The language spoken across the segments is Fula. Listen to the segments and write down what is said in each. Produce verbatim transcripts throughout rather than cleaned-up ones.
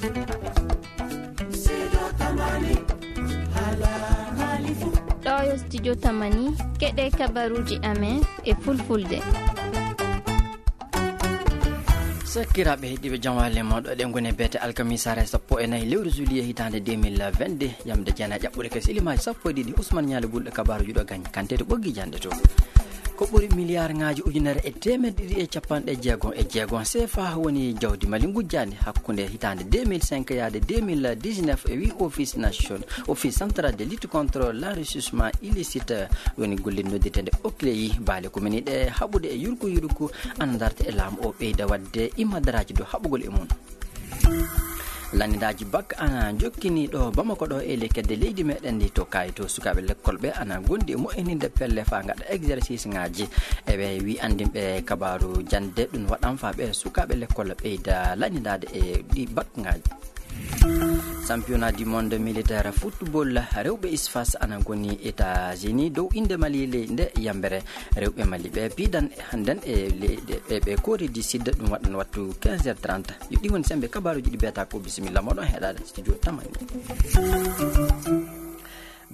Ɗo yo studio Tamani, keɗe kabaruuji amen e fulfulde. Sakiraaɓe heɗiiɓe, jam walle moɗo. Ɗen ngoni beete alkamisaare sappo e nayi lewru juillet hitaande deux mille vingt-deux. Yamde jeenayi ƴaɓɓude kese ilimaaji sappo e ɗiɗi. Ousmane Ñaali Bulɗo, kabaaruuji ɗo gañ kante to ɓoggi jande to. Ko ɓuri miliyaarŋaaji ujunere e teemedde ɗiɗi e capanɗe jeegom e jeegom seefa woni jawdi Mali ngujjaandi hakkunde hitaande deux mille cinq yaade deux mille dix-neuf, e wi Office Nation, Office Central de Lutte contre l'Enrichissement Illicite, woni gollirde noddirteende Oclei. Baale kumaniiɗe haɓude e yurku yurku ana darta e laamu o ɓeyda waɗde imadaraaji dow haɓugol e mum. Lannidaaji bak ana jokkini ɗo Bamako ɗo e le kedde leydi meɗen ndi to kayito sukaaɓe lekkol ɓe ana gondi e moƴƴininde pelle fa gaɗa exercice ŋaaji. E ɓe wi anndinɓe kabaaru jande ɗum waɗan fa ɓe sukaaɓe lekkol ɓeyda lannidaade e ɗi bak ŋaaji. Championnat du monde militaire football rewɓe isfas ana goni États-Unis dow innde Mali ley nde yambere. Rewɓe Mali ɓe piidan hannden e leyɗe e ɓe Corée du Sud, ɗum waɗan wattu quinze heures trente. Yo ɗi woni sembe kabaaruuji ɗi beeta ko bisimilla moɗon heɗaade studio Tamani.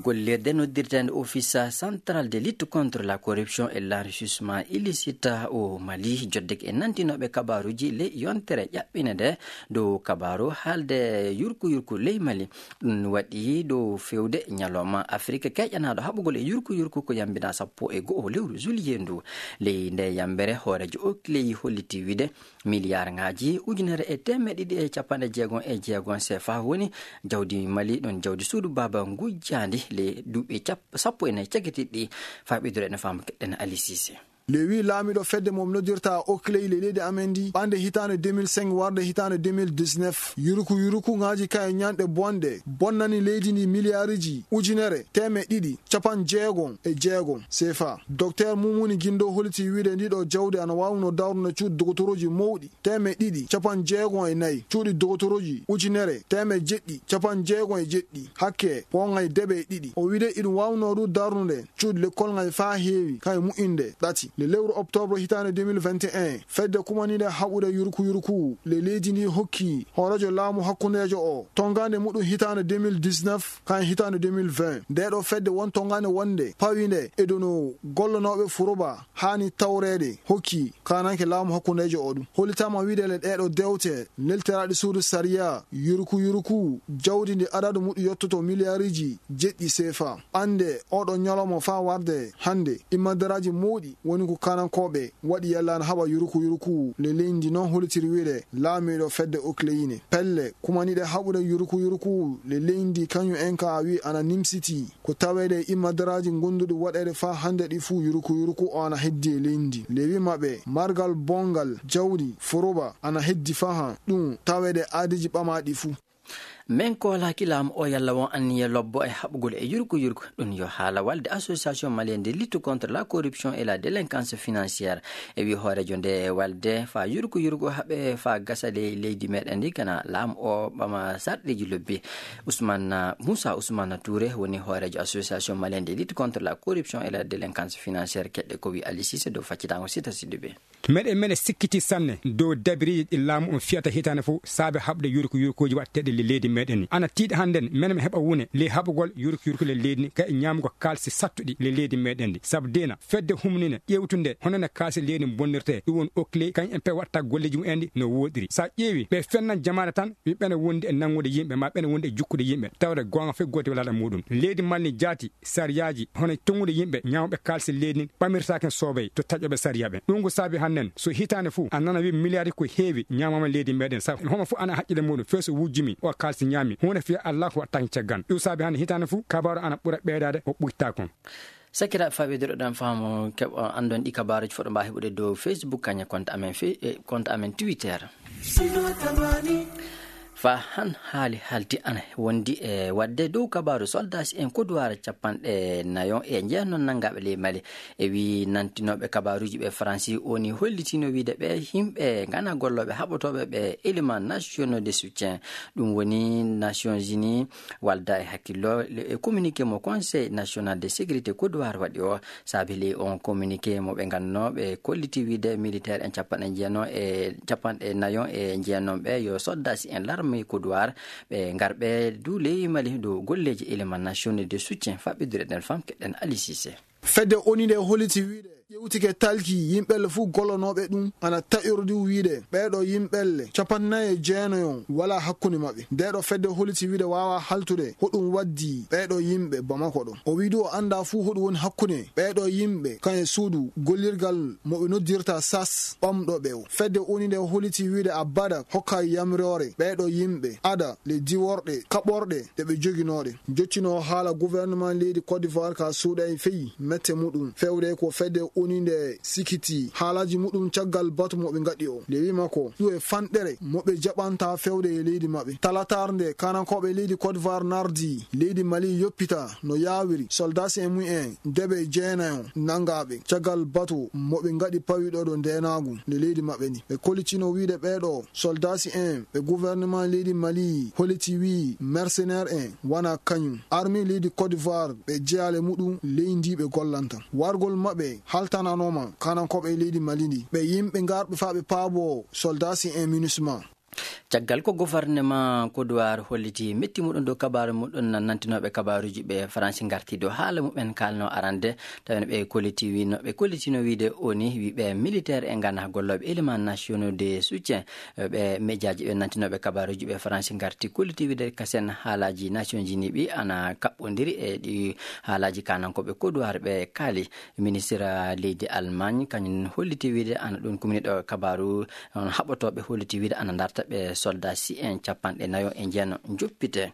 Gollirde noddirteende Office Central de Lutte contre la Corruption et l'Enrichissement Illicite au Mali joddeke e nantinooɓe kabaaruuji ley yontere ƴaɓɓine nde dow kabaaru haalde yurku yurku ley Mali. Ɗum waɗi dow fewde ñalawma Afrik keyƴanaaɗo haɓugol e yurku yurku ko yambina sappo e go'o lewru juillet ndu. Ley nde yambere hooreejo Oclei holliti wiide miliyaarŋaaji ujunere e teemeɗɗe ɗiɗi e capanɗe jeegom e jeegom seefa woni jawdi Mali, ɗon jawdi suudu baaba ngujjaandi le duuɓi cap-, sappo e nayi cagitiiɗi. Faa ɓeydude ene faama keɗɗen Ali Sise. Le wi laamiɗo fedde mo noddirta Oclei le leydi amen ndi, ɓande hitaande deux mille cinq warde hitaande deux mille dix-neuf, yurku yurku ŋaaji kay ñanɗe bonɗe bonnani leydi ndi miliyaariji ujunere teemeɗɗe ɗiɗi capanɗe jeegom e jeegom seefa. Docteur Mumuni Gindo holiti wiide ndi ɗo jawdi ana waawno darnude cuuɗi dogotorooji mawɗi teemeɗɗe ɗiɗi capanɗe jeegom e nayi, cuuɗi dogotorooji ujunere teemeɗɗe jeɗɗi capanɗe jeegom e jeɗɗi, hakke pooŋay deɓe e ɗiɗi. O wiide iɗum waawno ɗum darnude cuuɗi lekkol ŋay faa heewi kay mu'inde ɗati. Le lewru octobre hitaande deux mille vingt et un, fedde kumaniinde haɓude yurku yurku le leydi ndi hokki hooreejo laamu hakkundeejo o tongaande muɗum hitaande deux mille dix-neuf kay hitaande deux mille vingt. Nde ɗo fedde won tongaande wonde pawinde e dono gollonooɓe furoba haani tawreede hokki kaananke laamu hakkundeejo o ɗum. Hollitaama wiide le ɗee ɗo dewte neltiraaɗe suudu sariya yurku yurku jawdi ndi adadu muɗum yottoto miliyaariji jeɗɗi seefa. Ɓande oɗo ñalawma faa warde hannde, imadaraaji mawɗi woni ko kanankooɓe waɗi yalla ana haɓa yurku yurku le leydi noon hollitiri wiide laamiiɗo fedde Oclei ne. Pelle kumaniiɗe haɓude yurku yurku le leydi kañum en ka wi ana nimsiti ko taweede e imadaraaji gonduɗi waɗeede faa hannde ɗi fuu yurku yurku o ana heddi e leydi. Le wi maɓɓe margal bongal jawdi foroba ana heddi faa ɗum taweede aadiiji ɓamaaɗi fuu. Men koolaaki laamu o yalla won anniya lobbo e haɓugol e yurku yurku. Ɗum yo haala walde Association Malienne de Lutte contre la Corruption et la Délinquance Financière. E wi hooreejo nde walde faa yurku yurku haɓe faa gasa ley leydi meɗen ndi kana laamu o ɓama sarɗiiji lobbi. Ousmane, Moussa Ousmane Touré woni hooreejo Association Malienne de Lutte contre la Corruption et la Délinquance Financière. Keɗɗe ko wi Ali Cissé dow faccitango Sita Sidibé. Meɗen, meɗen sikkiti sanne dow dabiriiji ɗi laamu on fiyata hitaande fof saabe haɓde yurku yurkuuji waɗteeɗi le leydi meɗen ni. Ana tiiɗi hannden menen mi heɓa wune le haɓugol yurku yurku le leydi ni, kay e ñaamugol kaalisi sattuɗi le leydi meɗen ndi. Sabu deena fedde humnine ƴeewtunde hono no kaalisi leydi bonnirtee, ɗum woni Okley, kañum en pe waɗta golleeji mum en ɗi no wooɗiri. Sa ƴeewi ɓe fennan jamaane tan, wi ɓene wondi e nanngude yimɓe, ma ɓene wondi e jukkude yimɓe, tawde goonga fof gooti walaɗa muɗum. Leydi Mali ni jaati sariyaaji hono tongude yimɓe ñaamɓe kaalisi leydi ndi ɓamirtaake soobay to taƴoɓe sariya ɓen. Ɗum ko saabi hannden so hitaande fof a nana wi miliyaari ko heewi ñaamama leydi meɗen, sabu homo fof ana haqqille muɗum feeso wujjumi o kaalisi ñaami huunde fiya Allah ko waɗtaake caggal. Ɗum saabi hannde hitaande fof kabaaru ana ɓura ɓeydaade o ɓuyta kon. Sakira faɓe doɗoɗen faamu keɓa anndon ɗi kabaaruji foɗo mba heɓude dow Facebook kaña compte amen fe-, eh, compte amen Twitter. Fa han haali halti ana wondi e waɗde dow kabaaru soldaaji en koduwaara capanɗe nayon e jeenon nanngaɓe ley Mali. E wi nantinooɓe kabaaruji ɓe Faransi woni hollitino wiide ɓe yimɓe ngana gollooɓe haɓotooɓe ɓe éléments nationaux de soutien. Ɗum woni Nations Unies walda e hakkillo le-, e communiqué mo Conseil National de Sécurité koduwaara waɗi o. Saabi ley on communiqué mo ɓe ngannoo ɓe kolliti wiide militaire en capanɗe jeenon e capanɗe nayon e jeenon ɓe yo soldaaji en larme Koduwar, ɓe ngarɓe du ley Mali dow golleeji élément national de soutien. Faɓɓidude ɗen fam keɗen Aliou Cissé. Fedde O N U nde holliti wiide ƴewtike talki yimɓelle fof gollonooɓe ɗum ana taƴordi wiide ɓeeɗo yimɓelle capanɗe nayi e jeenayo wala hakkunde maɓɓe. Ndeeɗo fedde holliti wiide waawa haltude hoɗum waddi ɓeeɗo yimɓe Bamako ɗo. O wiidi o annda fof hoɗum woni hakkunde ɓeeɗo yimɓe kan e suudu gollirgal mo ɓe noddirta sas ɓamɗo ɓe o. Fedde O N U nde holliti wiide abada hokka yamroore ɓeeɗo yimɓe ada le diworɗe kaɓorɗe ɗe ɓe joginooɗe. Joccino haala gouvernement leydi Côte d'Ivoire ka suuɗay feyi mette muɗum. Fewde ko fedde O N U nde sikiti haalaji muɗum caggal batu mo ɓe ngaɗi o. Nde wi makko ɗum e fanɗere mo ɓe jaɓanta fewde e leydi maɓɓe. Talatar nde kanankooɓe leydi Côte d'Ivoire nardi leydi Mali yoppita no yaawiri soldats en mum en debe jeenayo nangaaɓe caggal batu mo ɓe ngaɗi pawiɗo ɗo ndeenaagu nde leydi maɓɓe ndi. Ɓe kollitino wiide ɓeeɗo soldats en ɓe gouvernement leydi Mali holliti wii mercenaire en wana kañum. Armée leydi Côte d'Ivoire ɓe jeyaale muɗum leydi ɓe gollanta. Wargol maɓɓe haltananooma kanankooɓe leydi Mali ndi. Ɓe yimɓe ngarɓe faa ɓe paabo soldats en MINUSMA. Caggal ko gouvernement Côte d'Ivoire holliti metti muɗum dow kabaaru muɗum, nantinooɓe kabaaruuji ɓe Faransi ngarti dow haala muɓen kaalno arande, tawen ɓe kolliti wino, ɓe kollitino wiide O N U wi ɓe militaire e ngana gollooɓe élément nationaux de soutien, ɓe médiaji ɓe nantinooɓe kabaaruuji ɓe Faransi ngarti kolliti wiide kasen haalaji Nations Unies ɓi ana kaɓɓondiri e ɗi haalaji kanankooɓe Côte d'Ivoire ɓe kaali. Ministre leydi Allemagne kañum holliti wiide ana ɗum kumniɗo kabaaru on haɓotooɓe holliti wiide ana darta ɓe soldat si en capanɗe nayo e jeeno joppite.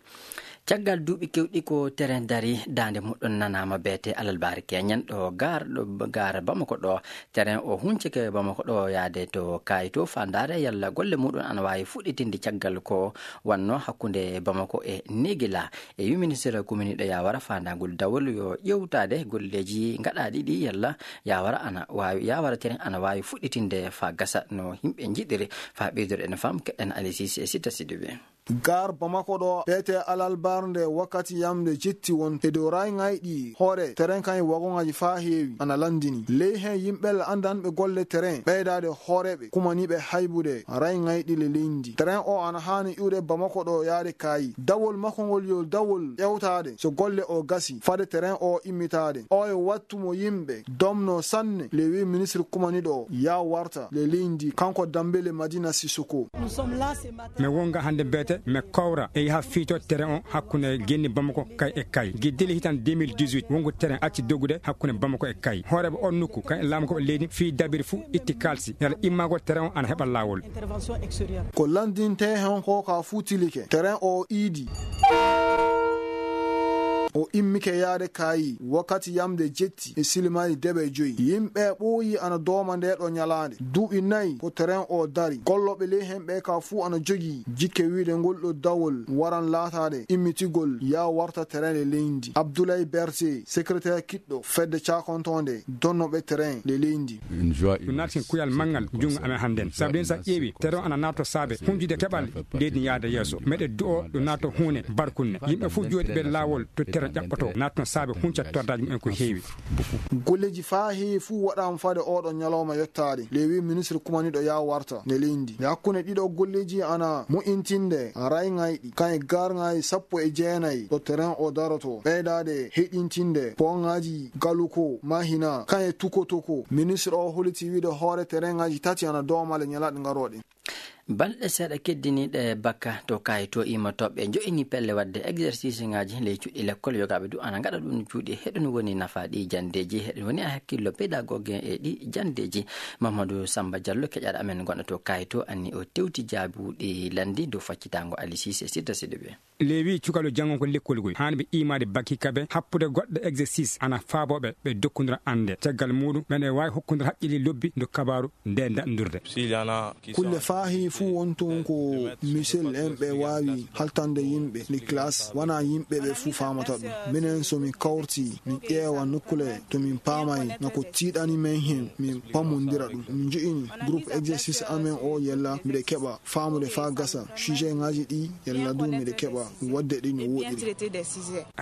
Caggal duuɓi kewɗi ko terrain dari daande muɗum nanaama beete alalbaari keñen ɗo gar, ɗo gar Bamako ɗo. Terrain o huncike Bamako ɗo yaade to kayito fa ndaare yalla golle muɗum ana waawi fuɗɗitinde caggal ko wanno hakkunde Bamako e Negila. E wi ministre kuminiɗo yawara fandagol dawol yo ƴewtade golleji gaɗaɗi ɗi yalla yawara ana wawi, yawara terrain ana wawi fuɗɗitinde fa gasa no yimɓe jiɗiri. Fa ɓeydore en fam keɗen Alisis e Sita Sidibe. Gar Bamako ɗo, P T alalbar nde wakkati yamde jetti won e dow rayi ngayɗi hoore terrain kan e wagongaji fa heewi ana landini. Ley hen yimɓe andanɓe golle terrain ɓeydade hooreɓe kumaniɓe haybude rayi ngayɗi le leydi. Terrain o ana hani iwde Bamako ɗo yaade Kaayi. Dawol makko ngol yo dawol ƴewtade so golle o gasi fade terrain o immitade. O e wattu mo yimɓe domno sanne le wi ministre kumaniɗo ya warta le leydi kanko Dambele Madina Sissoko. Min wonga hannde mbiyete min kawra e yaha fiito terrain o hakkunde genni Bamako kay e kay. Giddili hitan deux mille dix-huit wongu terrain acci dogude hakkunde Bamako e kay. Hooreɓe on nokku kan e laamu ko leydi fii dabiri fuu itti kalsi yala immagol terrain o ana heɓa laawol. Ko landinte hen ko ka fuu tilike. Terrain o iidi. O immike yaade Kaayi wakkati yamde jetti e silimaji deɓe joyi. Yimɓe ɓooyi ana dooma nde ɗo ñalaande. Duuɓi nayi ko terrain o dari. Gollooɓe ley hen ɓe ka fuu ana jogii jikke wiide ngol ɗo dawol waran laataade immitigol ya warta terrain e leydi. Abdoulaye Berté, secrétaire kiɗɗo fedde cakontonde donnoɓe terrain le leydi. Ɗum naati kuyal manngal junngo amen hannden. Sabu ɗen sa ƴeewi, terrain ana naatoo saabe hunjude keɓal leydi yaada yeeso. Meɗe du'o ɗum naatoo huune barkunne. Yimɓe fof jooɗi ɓe laawol to terrain ƴaɓɓotoo. Naatno saabe hunca tordaji mumen ko heewi. Golleji fa heewi fof waɗaama fade oɗo ñalawma yottaade. Le wi ministre kumaniɗo ya warta nde leydi. Nde hakkunde ɗiɗo golleji ana mo'intinde rayi ngayɗi. Kan e garŋaaji sappo e jeenayi ɗo terrain o daroto. Ɓeydaade heɗintinde poŋaaji galuko mahina. Kan e tukotoko. Ministre o holiti wiide hoore terrain ngaji tati ana doomale ñalaɗe ngarooɗe. Balɗe seeɗa keddiniiɗe bakka to kayito immotooɓe jo'ini pelle waɗde exercice ngaji ley cuuɗi lekkol yogaaɓe du ana ngaɗa ɗum cuuɗi. Heɗum woni nafa ɗi jandeji, heɗum woni a hakkillo pédagogue e ɗi jandeji. Mamadou Samba Diallo keƴaɗo amen gonɗo to kayito anni o tewti jaabuɗi landi dow faccitango Alisis e Sita Sidibe. Lewi cukalel janngo ko lekkol ngol haani ɓe imaade baki kaɓe happude goɗɗo exercice ana faabooɓe ɓe dokkondira annde. Caggal muuɗum ɓen e waawi hokkondira haqqille lobbi ndo kabaaru nde daɗndurde. Kulle faahi fuu won toon ko misel en ɓe waawi haltande yimɓe ndi classe wona yimɓe ɓe fuu faamata ɗum. Minen so min kawrtii min ƴeewa nokkule to min paamay na ko tiiɗani men heen min pammondira ɗum. Min njo'ini groupe exercice amen o yella mbiɗa keɓa faamude faa gasa sujet ngaji ɗi yalla du mbiɗa keɓa Waɗde ɗi no woɗɗiri.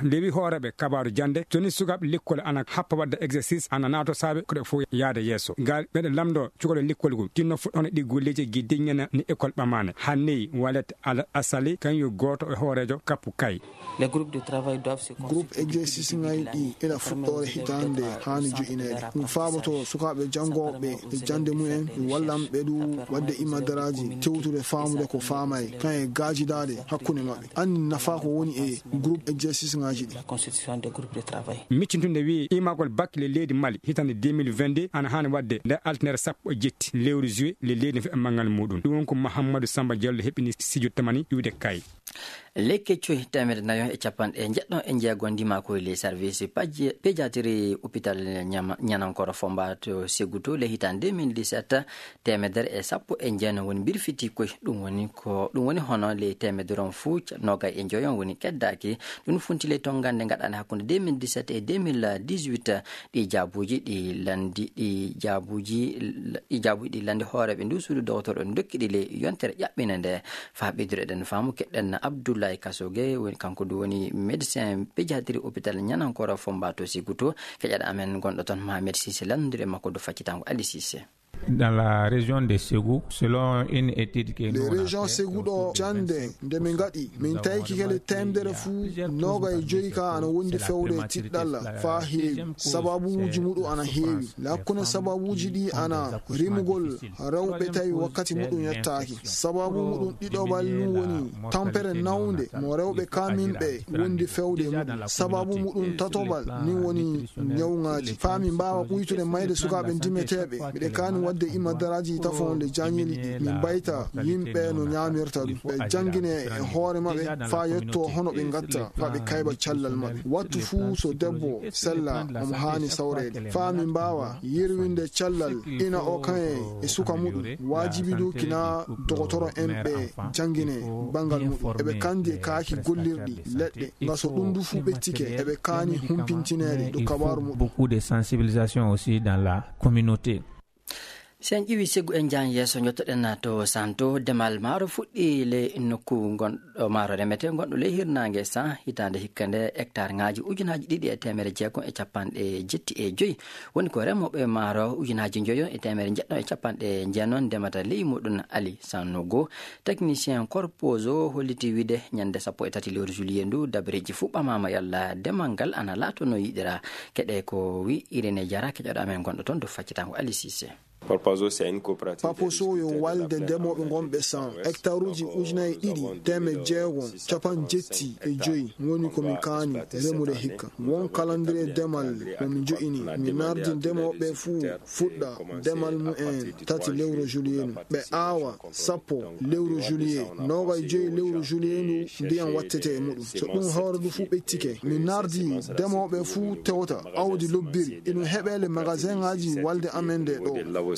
Nde wi hooreeɓe kabaaru jannde, so ni sukaaɓe lekkol ana happa waɗde exercice, ana naato saabe ko ɗe fof yaade yeeso. Ngal meɗen lamndo cukalel lekkol ngol, tinno fuɗɗono ɗi golleeji e giddiŋŋena ni école ɓamaane. Hanni Walet Al Asali, kaŋ yo gooto e hooreejo kappu kay. Groupe exercice ŋaaji ɗi ila fuɗɗoore hitaande haani joƴineede. Ɗum faaboto sukaaɓe janngooɓe e jannde mumen, ɗum wallan ɓe du waɗde imadaraaji, tewtude faamude ko faamaay, kaŋ e gaajidaade hakkunde maɓɓe. Anndi nafaa ko woni e groupe exercice ŋaaji ɗi. Miccintunde wi imagol bac le leydi Mali hitaande deux mille vingt-deux ana haani waɗde nde altine sappo e jetti lewru juillet le leydi no feɓa manngal muɗum. Ɗum won ko Mahamadou Samba Diallo heɓini Sidio Tamani iwde kay. Lekke coy teemedde nayo e capanɗe jeɗɗo e jeego ndimakoy le service paji-, pédiatrie hôpital Ñama-, Ñanankoro Fomba to Seguto le hitan deux mille dix-sept, teemedere e sappo e jeenayi woni mbirfiti koy. Ɗum woni ko, ɗum woni hono le teemedere on fuu ca-, nogay e joyon woni keddaaki. Ɗum funti le tongande gaɗande hakkunde deux mille dix-sept e deux mille dix-huit. Ɗi jaabuuji ɗi landi, ɗi jaabuuji, ɗi jaabuuji ɗi landi hooreeɓe ndu suudu dogotoro en dokki ɗi le yontere ƴaɓɓinde nde. Faa ɓeydude eɗen faamu, keɗɗen Abdoulaye Kasoge, woni, kanko du woni médecin pédiatrie hôpital Ñanankoro Fomba to Siguto. Keƴaɗo amen gonɗo toon, Mohamed Cissé, lanndondir e makko dow faccitango Ali Cissé. Dans la région de Ségou, selon une étude que nous avons fait, Ségou ɗo jannde nde min ngaɗi, min tawi kikele teemedere fuu noogay e joyi ka ana wondi fewde tiɗɗalla faa heewi. Sababuuji muɗum ana heewi. Hakkunde sababuuji ɗi ana rimugol rewɓe tawi wakkati muɗum yettaaki. Sababu muɗum ɗiɗoɓal ɗum woni tampere nawnde mo rewɓe kaminɓe wondi fewde e muɗum. Sababu muɗum tatoɓal ni woni ñawŋaaji. Faa min mbaawa ɓuytude mayde sukaaɓe ndimeteeɓe, miɗen kaani waɗde imadaraaji tafoonde jañili ɗi. Min mbayta yimɓe no ñaamirta ɗum. Ɓe janngine e hoore maɓɓe faa yetto hono ɓe ngatta, faa ɓe kayba callal maɓɓe. Wattu fuu so debbo sella omo haani sawreede. Faa min mbaawa yerwinde callal ina o kaŋ e suka muɗum. Waajibi du kina dogotoro en ɓe janngine banngal muɗum. Eɓe kandi e kaaki gollirɗi leɗɗe. Nga so ɗum du fuu ɓettike, eɓe kaani humpintineede dow kabaaru muɗum. Beaucoup de sensibilisation aussi dans la communauté. Si en ƴeewi Segu en jaan yeeso, njottoɗen to Santo. Demal maaro fuɗɗi le nokku ngonɗo maaro remete, ngonɗo le hirnaange sa hitaande hikka nde, hectare ŋaaji ujunaaji ɗiɗi e teemere jeegom e capanɗe jetti e joyi. Woni ko remooɓe maaro ujunaaji njoyo e teemere jeɗɗo e capanɗe jeenon ndemata ley muɗum. Ali Sanogo, technicien Corposo, holliti wiide ñande sappo e tati lewru juillet ndu, dabareeji fuu ɓamaama yalla demal ngal ana laato no yiɗira. Keɗe ko wi Irene Jara, keƴoɗo amen gonɗo toon dow faccitango Ali Cissé. Paposo yo walde ndemooɓe ngonɓe san hectaruuji ujunaaji ɗiɗi teemedde jeegom capanɗe jetti e joyi woni ko min kaani remude hikka. Won kalandire demal mo min jo'ini, min nardi ndemooɓe fuu fuɗɗa demal mumen tati lewru juillet ndu. Ɓe aawa sappo lewru juillet, noogay joyi lewru juillet ndu ndiyam wattete e muɗum. So ɗum hoore ndu fuu ɓettike, min nardi ndemooɓe fuu tewta awdi lobbiri. Ino heɓee le magasin ŋaaji walde amen nde ɗo.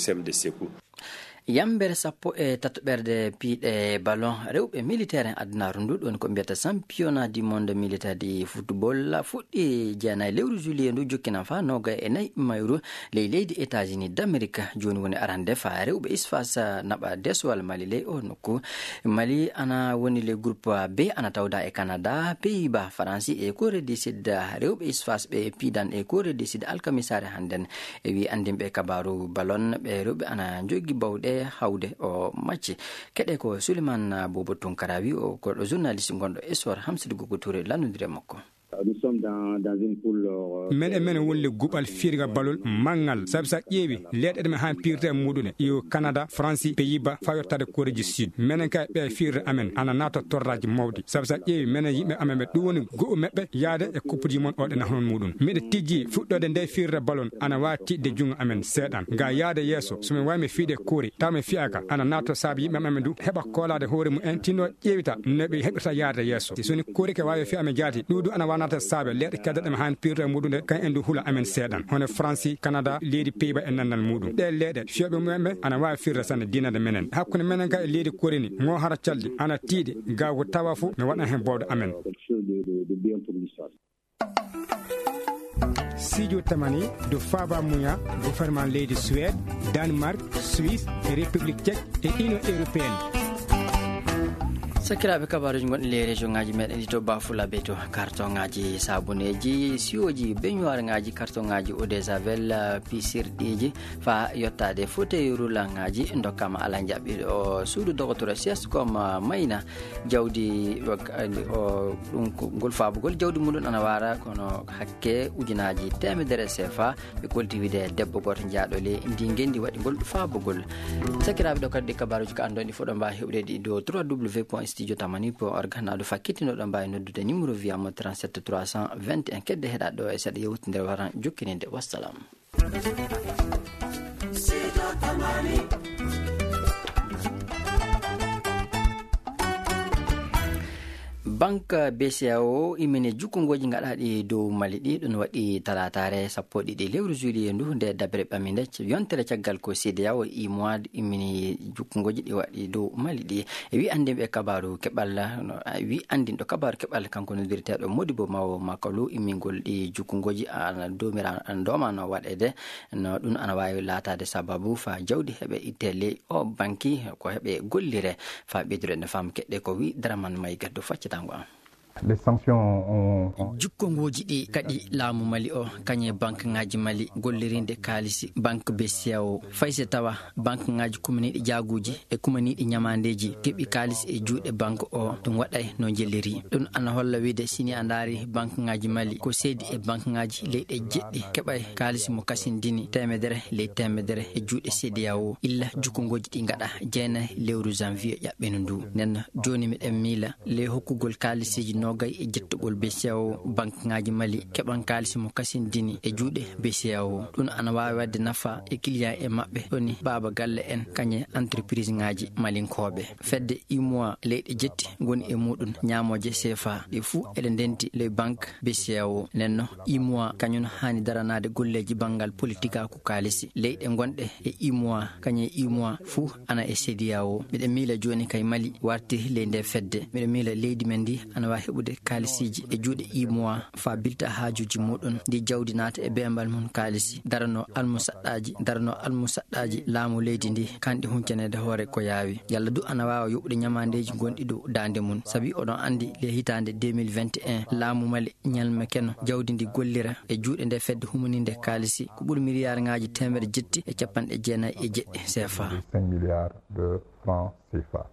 Yambere sappo e tatoɓerde piiɗe ballon rewɓe militaire en adunaaru ndu, ɗon ko mbiyata championnat du monde militaire du football, fuɗɗi jeenayi lewru juillet ndu, jokkinan faa noogay e nayi mayru ley leydi États-Unis d'Amérique. Jooni woni arande faa rewɓe isfas naɓa desowal Mali ley o nokku. Mali ana woni le groupe B, ana tawda e Canada, Pays-Bas, Faransi e Corée du Sud. Rewɓe isfas ɓe piidan e Corée du Sud alkamisaare hannden. E wi anndinɓe kabaaru ballon, ɓe rewɓe ana njogi bawɗe hawde o macci. Keɗe ko Souleymane Bobo Tunkara wi o ko journaliste gonɗo Essor, Hamsidou Gogo Touré lanndondire makko. Nous sommes dans, dans une poule, euh, Menen, menen wonde guɓal firga ballon manngal. Sabu sa ƴeewi leyɗe ɗe men haan pirte e muɗum, yo Canada, France, Pays-Bas, faa yottaade Corée du Sud. Menen kay ɓe firre amen ana naata torraaji mawɗi. Sabu sa ƴeewi menen yimɓe amen ɓe, ɗum woni go'o maɓɓe yaade e Coupe du Monde o ɗe nahnon muɗum. Miɗo tijji fuɗɗoode nde firre ballon ana waawi tiiɗde junngo amen seeɗan. Ga yaade yeeso, so min waawi mi fiide Corée, taw mi fiyaaka, ana naata saabu yimɓe amen du heɓa koolaade hoore mumen, tinno ƴeewita no ɓe heɓirta yaade yeeso. So ni Corée ke waawi fiya amen jaati, ɗum du ana waawi naata saabe leyɗe kedde ɗe men haan pirte e muɗum ɗe, kan en du hula amen seeɗan. Hono Faransi, Canada, leydi Pays-Bas e nannal muɗum. Ɗe leyɗe fiyooɓe mumen ɓe ana waawi firde sanne diinade menen. Hakkunde menen kay e leydi Corée ni, ŋo hara calɗi, ana tiiɗi, ga ko tawa fof mi waɗan heen bawɗe amen. Sidio Tamani, dow faaba muya, gouvernement leydi Suède, Danemark, Suisse, e République Tchèque e Union Européenne. Sakiraaɓe, kabaaruuji gonɗi ley région ŋaaji meɗen ɗi to Bafulabe to, kartoŋaaji saabuneeji, siwooji, beñuwaarŋaaji, kartoŋaaji eau de javel, pisirɗiiji, faa yottaade fauteuil roulant ŋaaji, ndokkaama alaa njaɓɓiiɗo. O suudu dogotoro sies comme mayna jawdi, o, ɗum ko ngol faabugol jawdi muɗum ana waara, kono hakke ujunaaji teemedere sefa. Ɓe kolti wiide debbo gooto jaaɗo ley ndi ngenndi waɗi ngol faabugol. Sakiraaɓe, ɗo kadi kabaaruuji ka anndon ɗi fof ɗo mbaawi heɓude ɗi dow trois W point studio tamani point org. Naa ɗo fakkitino ɗo mbaawi noddude numéro via mo trente-sept trois cent vingt et un. Kedde heɗaɗo e seeɗa yewtinde waran jokkininde. Wassalam. Banque B C A O immini jukkungooji gaɗaaɗi dow Mali ɗi. Ɗum waɗi talaataare sappo e ɗiɗi lewru juillet ndu, nde daɓere ɓaminde. Yontere caggal ko C D A O, U E M O A immini jukkungooji ɗi waɗi dow Mali ɗi. E wi anndinɓe kabaaru keɓal, no, wi anndinɗo kabaaru keɓal, kanko noddirteeɗo Modibo Mawo Makalu, immingol ɗi jukkungooji ana doomira, ana doomano waɗeede. No ɗum ana waawi laataade sababu faa jawdi heɓe itte ley o banki ko heɓe gollire. Faa ɓeydude ne faam keɗɗe ko wi Daraman May Gaddo faccatango am. Les sanctions ont, ont Jukkongooji ɗi kadi laamu Mali o, kañe banque ŋaaji Mali gollirinde kaalisi banque B C A O, fay so tawa banque ŋaaji kumaniiɗi jaaguuji e kumaniiɗi ñamaandeeji keɓi kaalis e juuɗe banque o, ɗum waɗay no njelliri. Ɗum ana holla wiide, sini a ndaari banque ŋaaji Mali, ko seedi e banque ŋaaji leyɗe jeɗɗi keɓay kaalis mo kasindini teemedere ley teemedere e juuɗe C D A O, illa jukkungooji ɗi ngaɗa jeenay lewru janvier ƴaɓɓino ndu. Nden jooni miɗen miila ley hokkugol kaalisiiji noogay e jettugol B C A O, banque ŋaaji Mali keɓan kaalisi mo kasindini e juuɗe B C A O. Ɗum ana waawi waɗde nafa e client e maɓɓe, ɗoni baaba galle en, kañe entreprise ŋaaji malinkooɓe. Fedde U E M O A leyɗe jetti ngoni e muɗum ñaamooje sefa, ɗe fuu eɗe ndenti ley banque B C A O. Nden no U E M O A kañum haani daranaade golleeji banngal politikaaku kaalisi. Leyɗe gonɗe e U E M O A, kañum e U E M O A fuu ana e C D A O. Miɗen miila jooni kay Mali warti ley nde fedde. Miɗen miila leydi men ndi ana waawi heɓude kaalisiiji e juuɗe U E M O A faa bilta haajuuji muɗum, ndi jawdi naata e beembal mum kaalisi, darano almusaɗɗaaji, darano almusaɗɗaaji laamu leydi ndi, kanɗi huncaneede hoore ko yaawi. Yalla du ana waawa yoɓude ñamaandeeji gonɗi dow daande mum. Sabi oɗon anndi, le hitaande deux mille vingt et un, laamu Mali ñalme keno jawdi ndi gollira e juuɗe nde fedde humaninde kaalisi, ko ɓuri miliyaarŋaaji teemedere jetti e capanɗe jeenayi e jeɗɗi sefa. Cinq milliards de francs C F A.